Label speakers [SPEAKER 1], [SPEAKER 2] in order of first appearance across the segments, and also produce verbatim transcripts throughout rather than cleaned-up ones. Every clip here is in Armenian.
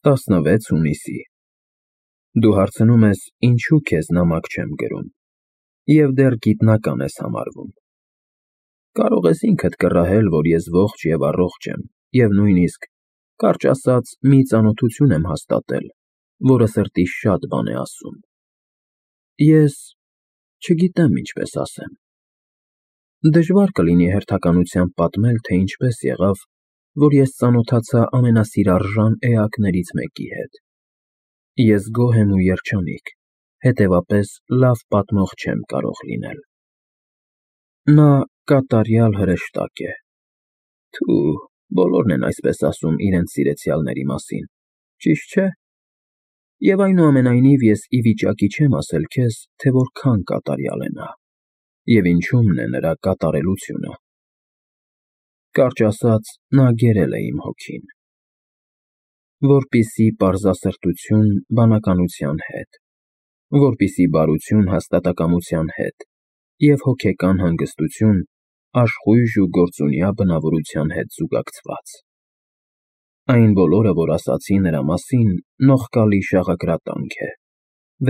[SPEAKER 1] տասնվեց հունիսի Դու հարցնում ես, ինչու քեզ նամակ չեմ գրում, և դեռ գիտնական ես համարվում։ Կարող ես ինքդ կռահել, որ ես ողջ և առողջ եմ, և նույնիսկ, կարճ ասած, մի ծանոթություն եմ հաստատել, որը սրտիս շատ բան է ասում։ Ես չգիտեմ ինչպես ասեմ։ Դժվար կլինի հերթականությամբ պատմել, թե ինչպես եղավ, որ ես ծանոթացա ամենասիրարժան էակներից մեկի հետ։ Ես գոհ եմ ու երջանիկ, հետևապես լավ պատմող չեմ կարող լինել։ Նա կատարյալ հրեշտակ է։ Թու, բոլորն են այսպես ասում իրենց սիրեցյալների մասին, ճիշտ չէ՞։ Եվ այնուամենայնիվ ես ի վիճակի չեմ ասել քեզ, թե որքան կատարյալ է նա, և ինչումն է նրա կատարելությունը։ Կարճ ասած, նա գերել է իմ հոգին, որպեսզի պարզասրտություն բանականության հետ, որպեսզի բարություն հաստատակամության հետ և հոգեկան հանգստություն աշխույժ ու գործունյա բնավորության հետ զուգակցված։ Այն բոլորը, որ ասացի նրա մասին, նողկալի շաղակրատանք է,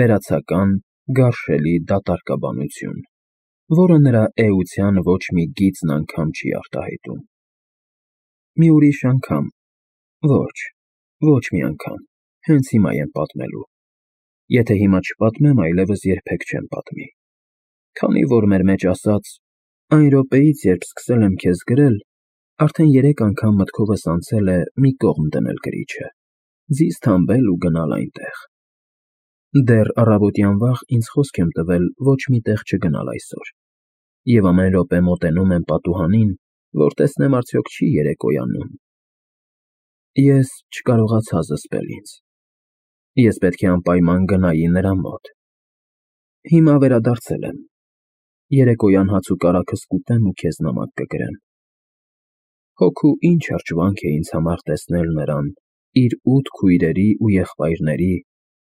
[SPEAKER 1] վերացական, գարշելի դատարկաբանություն, որը նրա էության ոչ մի գիծն անգամ չի արտահայտում։ Մի ուրիշ անգամ, ոչ, ոչ մի անգամ, հենց հիմա եմ պատմելու։ Եթե հիմա չպատմեմ, այլևս երբեք չեմ պատմի։ Քանի որ մեր մեջ ասած, այն րոպեից, երբ սկսել եմ քեզ գրել, արդեն երեք անգամ մտքովս անցել է մի կողմ դնել գրիչը, ձիզ թամբել ու գնալ այնտեղ։ Դեռ առավոտյան վաղ ինձ խոսք եմ տվել ոչ մի տեղ չգնալ այսօր, և ամեն րոպե մոտենում եմ պատուհանին, որ տեսնեմ արդյոք չի երեկոյանում։ Ես չկարողացա զսպել ինձ։ Ես պետք է անպայման գնայի նրա մոտ։ Հիմա վերադարձել եմ։ Երեկոյան հաց ու կարագս կուտեմ ու քեզ նամակ կգրեմ։ Հոգու ինչ հրճվանք է ինձ համար տեսնել նրան իր ութ քույրերի ու եղբայրների,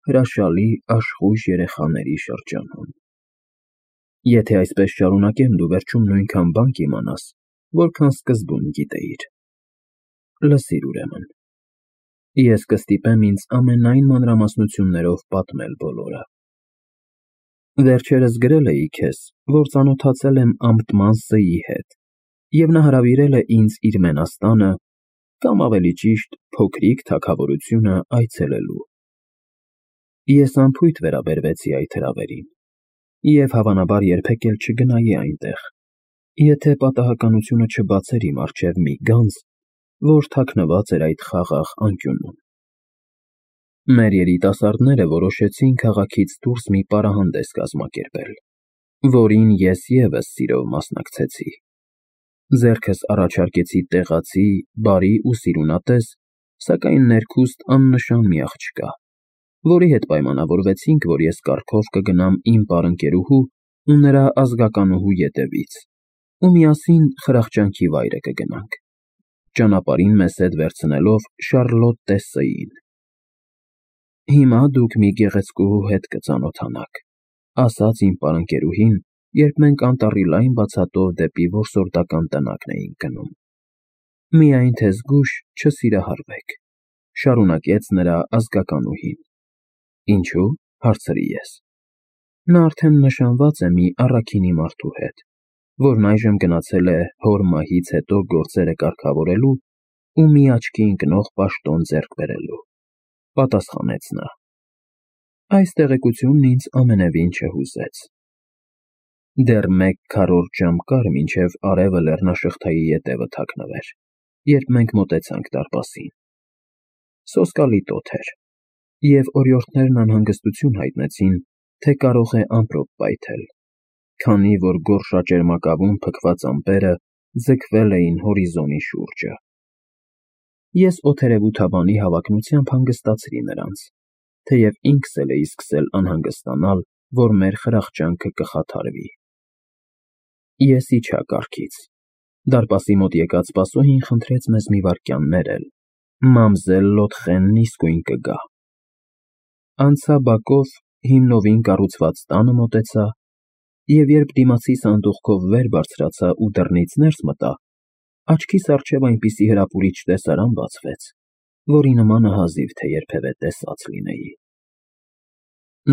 [SPEAKER 1] հրաշալի աշխույժ երեխաների շրջանում։ Եթե այսպես շարունակեմ, դու վերջում նույնքան բան կիմանաս, որքան սկզբում գիտեիր։ Լսիր ուրեմն։ Ես կստիպեմ ինձ ամենայն մանրամասնություններով պատմել բոլորը։ Վերջերս գրել էի քեզ, որ ծանոթացել եմ ամտման Ս֊ի հետ, և նա հրավիրել է ինձ իր մենաստանը, կամ ավելի ճիշտ, փոքրիկ թագավորությունը այցելելու։ Ես անփույթ վերաբերվեցի այդ հրավերին և հավանաբար երբեք էլ չգնայի այնտեղ, եթե պատահականությունը չբացեր իմ առջև մի գանձ, որ թաքնված էր այդ խաղաղ անկյունում։ Մեր երիտասարդները որոշեցին քաղաքից դուրս մի պարահանդես կազմակերպել, որին ես ևս սիրով մասնակցեցի։ Ձեռքս առաջարկեցի տեղացի, բարի ու սիրունատես, սակայն ներքուստ աննշան մի աղջկա, որի հետ պայմանավորվեցինք, որ ես կառքով կգնամ իմ պարընկերուհու ու նրա ազգականուհու ետևից, ու միասին խրախճանքի վայրը կգնանք, ճանապարհին մեզ հետ վերցնելով Շառլոտ Տես֊Ս֊ին։ Հիմա դուք մի գեղեցկուհու հետ կծանոթանաք, ասաց իմ պարընկերուհին, երբ մենք անտառի լայն բացատով դեպի որսորդական տնակն էինք գնում։ Միայն թե զգույշ չսիրահարվեք, շարունակեց նրա ազգականուհին։ Ինչու՞, հարցրի ես։ Նա արդեն նշանված է մի առաքինի մարդու հետ, որն այժմ գնացել է հոր մահից հետո գործերը կարգավորելու ու մի աչքի ընկնող պաշտոն ձեռք բերելու, պատասխանեց նա։ Այս տեղեկությունն ինձ ամենևին չհուզեց։ Դեռ մեկ քառորդ ժամ կար, մինչև արևը լեռնաշղթայի ետևը թաքնվեր, երբ մենք մոտեցանք դարպասին։ Սոսկալի տոթ էր, և օրիորդներն անհանգստություն հայտնեցին, թե կարող է ամպրոպ պայթել, քանի որ գորշաճերմակավում փքված ամպերը ձգվել էին հորիզոնի շուրջը։ Ես օդերևութաբանի հավակնությամբ հանգստացրի նրանց, թեև ինքս էլ էի սկսել անհանգստանալ, որ մեր խրախճանքը կխաթարվի։ Ես իջա կառքից։ Դարպասի մոտ եկած սպասուհին խնդրեց մեզ մի վայրկյան ներել, մամզել Լոթխենն իսկույն կգա։ Անցա բակով հիմնովին կառուցված տանը մոտեցա, և երբ դիմացի սանդուղքով վեր բարձրացա ու դռնից ներս մտա, աչքիս առջև այնպիսի հրապուրիչ տեսարան բացվեց, որի նմանը հազիվ թե երբևէ տեսած լինեի։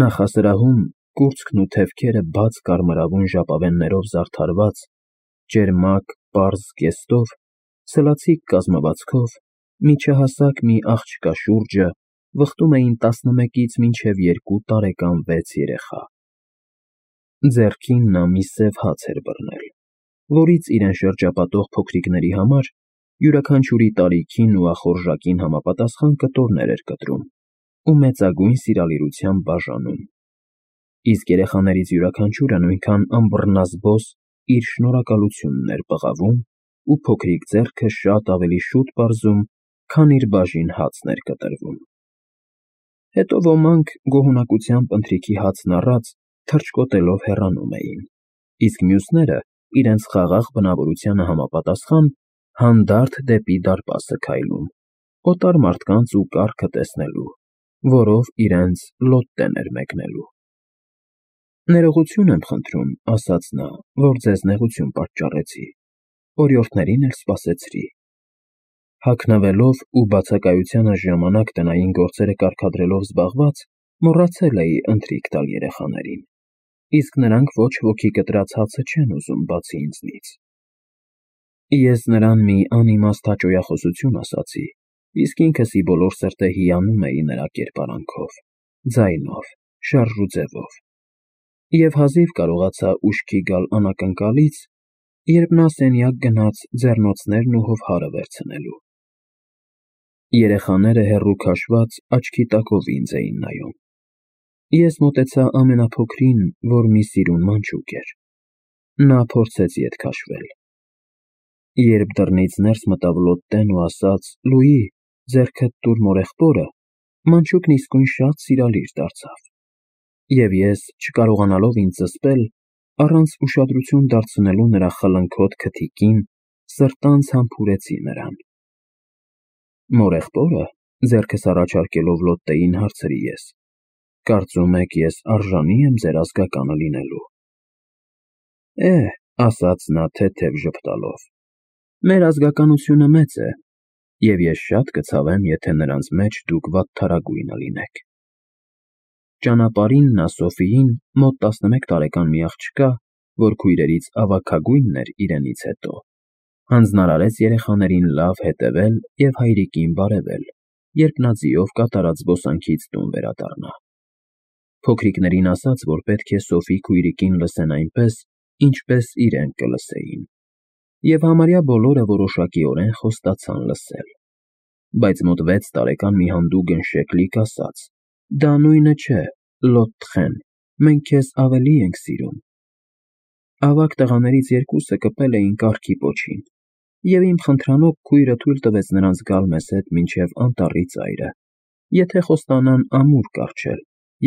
[SPEAKER 1] Նախասրահում կուրծքն ու թևքերը բաց կարմրավուն ժապավեններով զարդարված, ճերմակ, պարզ զգեստով, սլացիկ կազմվածքով, միջահասակ մի աղջկա շուրջը վխտում էին տասնմեկից մինչև երկու տարեկան վեց երեխա։ Ձեռքին նա մի սև հաց էր բռնել, որից իրեն շրջապատող փոքրիկների համար յուրաքանչյուրի տարիքին ու ախորժակին համապատասխան կտորներ էր կտրում ու մեծագույն սիրալիրությամբ բաժանում, իսկ երեխաներից յուրաքանչյուրը նույնքան անբռնազբոս իր շնորհակալությունն էր պղավում ու փոքրիկ ձեռքը շատ ավելի շուտ պարզում, քան իր բաժին հացն էր կտրվում։ Հետո ոմանք գոհունակությամբ ընթրիքի հացն առած թռչկոտելով հեռանում էին, իսկ մյուսները իրենց խաղաղ բնավորությանը համապատասխան հանդարտ դեպի դարպասը քայլում, օտար մարդկանց ու կառքը տեսնելու, որով իրենց լոտտեն էր մեկնելու։ Ներողություն եմ խնդրում, ասաց նա, որ ձեզ նեղություն պատճառեցի, օրիորդներին էլ սպասեցրի։ Հագնվելով ու բացակայությանս ժամանակ տնային գործերը կարգադրելով զբաղված, մոռացել էի ընթրիք տալ երեխաներին, իսկ նրանք ոչ ոքի կտրած հացը չեն ուզում, բացի ինձնից։ Ես նրան մի անիմաստ հաճոյախոսություն ասացի, իսկ ինքս ի բոլոր սրտե հիանում էի նրա կերպարանքով, ձայնով, շարժուձևով, և հազիվ կարողացա ուշքի գալ անակնկալից, երբ նա սենյակ գնաց ձեռնոցներն ու հովհարը վերցնելու։ Երեխաները հեռու քաշված աչքի տակով ինձ էին նայում։ Ես մոտեցա ամենափոքրին, որ մի սիրուն մանչուկ էր։ Նա փորձեց ետ քաշվել։ Երբ դռնից ներս մտավ Լոտտեն ու ասաց. «Լուի, ձեռքդ տուր մորեղբորը», մանչուկն իսկույն շատ սիրալիր դարձավ, և ես, չկարողանալով ինձ զսպել, առանց ուշադրություն դարձնելու նրա խլնքոտ քթիկին, սրտանց համբուրեցի նրան։ Մորեղբո՞րը, ձեռքս առաջարկելով Լոտտեին հարցրի ես, կարծում եք ես արժանի եմ ձեր ազգականը լինելու։ Է, ասաց նա թեթև ժպտալով, մեր ազգականությունը մեծ է, և ես շատ կցավեմ, եթե նրանց մեջ դուք վատթարագույնը լինեք։ Ճանապարհին նա Սոֆիին, մոտ տասնմեկ տարեկան մի աղջկա, որ քույրերից ավագագույնն էր իրենից հետո, հանձնարարեց երեխաներին լավ հետևել և հայրիկին բարևել, երբ նա ձիով կատարած զբոսանքից տուն վերադառնա։ Փոքրիկներին ասաց, որ պետք է Սոֆի քույրիկին լսեն այնպես, ինչպես իրենք կլսեին, և համարյա բոլորը որոշակիորեն խոստացան լսել։ Բայց մոտ վեց տարեկան մի հանդուգն շեկլիկ ասաց. «Դա նույնը չէ, Լոթխեն, մենք քեզ ավելի ենք սիրում»։ Ավագ տղաներից երկուսը կպել էին կառքի պոչին, և իմ խնդրանոց քույրը թույլ տվեց նրանց գալ մեզ հետ մինչև անտառի ծայրը, եթե խոստանան ամուր կառչել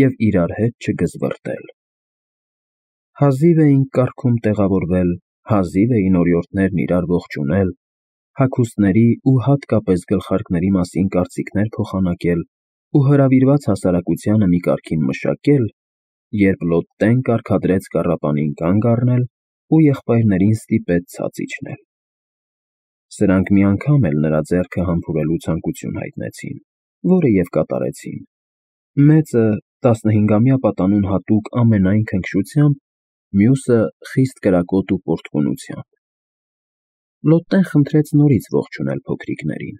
[SPEAKER 1] և իրար հետ չգզվռտել։ Հազիվ էինք կառքում տեղավորվել, հազիվ էին օրիորդներն իրար ողջունել, հագուստների ու հատկապես գլխարկների մասին կարծիքներ փոխանակել ու հրավիրված հասարակությանը մի կարգին մշակել, երբ Լոտտեն կարգադրեց կառապանին կանգ առնել ու եղբայրներին ստիպեց ցած իջնել։ Սրանք մի անգամ էլ նրա ձեռքը համբուրելու ցանկություն հայտնեցին, որը և կատարեցին։ Մեծը տասնհինգամյա պատանուն հատուկ ամենայն քնքշությամբ, մյուսը խիստ կրակոտ ու պոռթկունությամբ։ Լոտտեն խնդրեց նորից ողջունել փոքրիկներին,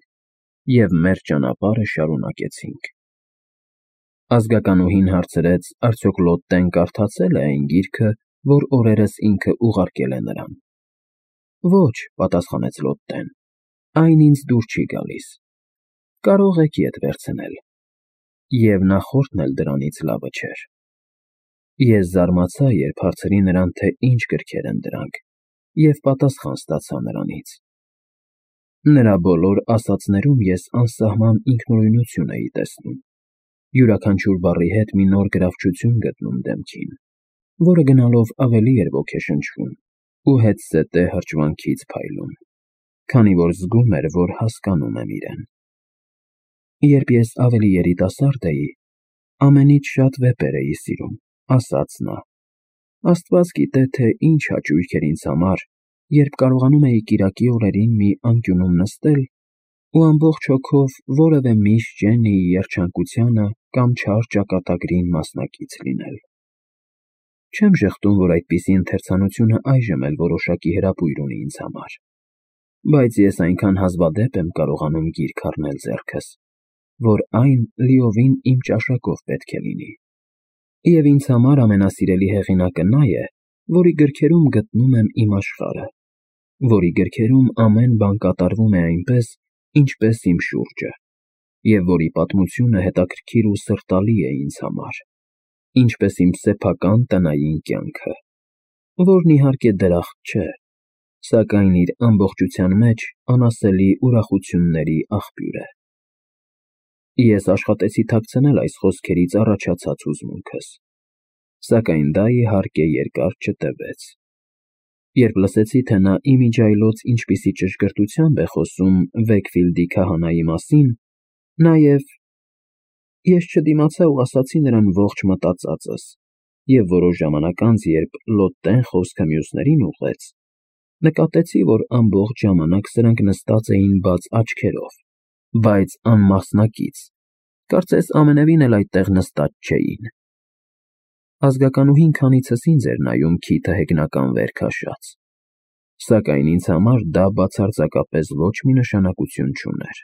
[SPEAKER 1] և մեր ճանապարհը շարունակեցինք։ Ազգականուհին հարցրեց, արդյոք Լոտտեն կարդացե՞լ է այն գիրքը, որ օրերս ինքը ուղարկել է նրան։ Ոչ, պատասխանեց Լոտտեն, այն ինձ դուր չի գալիս։ Կարող եք ետ վերցնել։ Եվ նախորդն էլ դրանից լավը չէր։ Ես զարմացա, երբ հարցրի նրան, թե ինչ գրքեր են դրանք, և պատասխան ստացա նրանից։ Նրա բոլոր ասածներում ես անսահման ինքնուրույնություն էի տեսնում, յուրաքանչյուր բառի հետ մի նոր գրավչություն գտնում դեմքին, որը գնալով ավելի էր ոգեշնչվում ու հետզհետե հրճվանքից փայլում, քանի որ զգում էր, որ հասկանում եմ իրեն։ Երբ ես ավելի երիտասարդ էի, ամենից շատ վեպեր էի սիրում, ասաց նա։ Աստված գիտե, թե ինչ հաճույք էր ինձ համար, երբ կարողանում էի կիրակի օրերին մի անկյունում նստել ու ամբողջ հոգով որևէ միշ Ջեննիի երջանկությանը կամ չար ճակատագրին մասնակից լինել։ Չեմ ժխտում, որ այդպիսի ընթերցանությունը այժմ էլ որոշակի հրապույր ունի ինձ համար, բայց ես այնքան հազվադեպ եմ կարողանում գիրք առնել ձեռքս, որ այն լիովին իմ ճաշակով պետք է լինի։ Եվ ինձ համար ամենասիրելի հեղինակը նա է, որի գրքերում գտնում եմ իմ աշխարհը, որի գրքերում ամեն բան կատարվում է այնպես, ինչպես իմ շուրջը, և որի պատմությունը հետաքրքիր ու սրտալի է ինձ համար, ինչպես իմ սեփական տնային կյանքը, որն իհարկե դրախտ չէ, սակայն իր ամբողջության մեջ անասելի ուրախությունների աղբյուր է։ Ես աշխատեցի թաքցնել այս խոսքերից առաջացած հուզմունքս, սակայն դա, իհարկե, երկար չտևեց։ Երբ լսեցի, թե նա իմիջիայլոց ինչպիսի ճշգրտությամբ է խոսում Վեքֆիլդի քահանայի մասին, նաև… Ես չդիմացա ու ասացի նրան ողջ մտածածս, և որոշ ժամանակ անց, երբ լոտնեն խոսքը մյուսներին ուղղեց, նկատեցի, որ ամբողջ ժամանակ սրանք նստած էին բաց աչքերով, բայց անմասնակից, կարծես ամենևին էլ այդտեղ նստած չէին։ Ազգականուհին քանիցս ինձ էր նայում քիթը հեգնական վեր քաշած, սակայն ինձ համար դա բացարձակապես ոչ մի նշանակություն չուներ։